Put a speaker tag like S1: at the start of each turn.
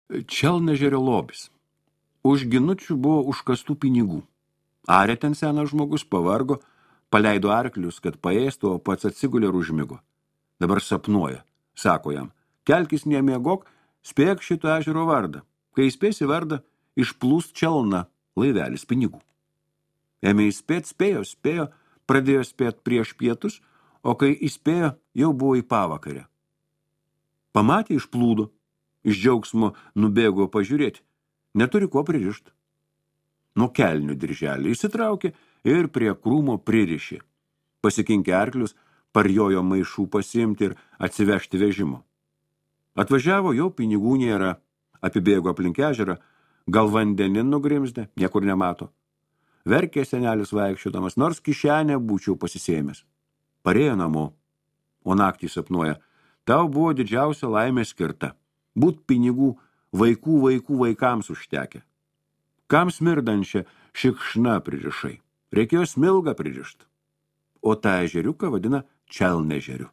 S1: Čelnežerio lobis. Už ginučių buvo užkastų pinigų. Arė ten senas žmogus, pavargo, paleido arklius, kad paėstų, o pats atsigulė ir užmigo. Dabar sapnuoja. Sako jam, kelkis nemiegok, spėk šito ežero vardą. Kai įspėsi vardą, išplūst čelna laivelis pinigų. Ėmė įspėt, spėjo, pradėjo spėt prieš pietus, o kai įspėjo, jau buvo į pavakarę. Pamatė, išplūdo, iš džiaugsmo nubėgo pažiūrėti, neturi ko pririšti. Nuo kelnių dirželį įsitraukė ir prie krūmo pririšė. Pasikinkė arklius, parjojo maišų pasiimti ir atsivežti vežimo. Atvažiavo, jau pinigų nėra, apibėgo aplink ežerą, gal vandenin nugrimzdė, niekur nemato. Verkė senelis vaikščiodamas, nors kišenę būčiau pasisėmęs. Parėjo namo, o naktį sapnuoja, tau buvo didžiausia laimė skirta, būt pinigų vaikams užtekę. Kam smirdančią šikšna pririšai? Reikėjo smilgą pririšti. O tą ežeriuką vadina čelnežeriu.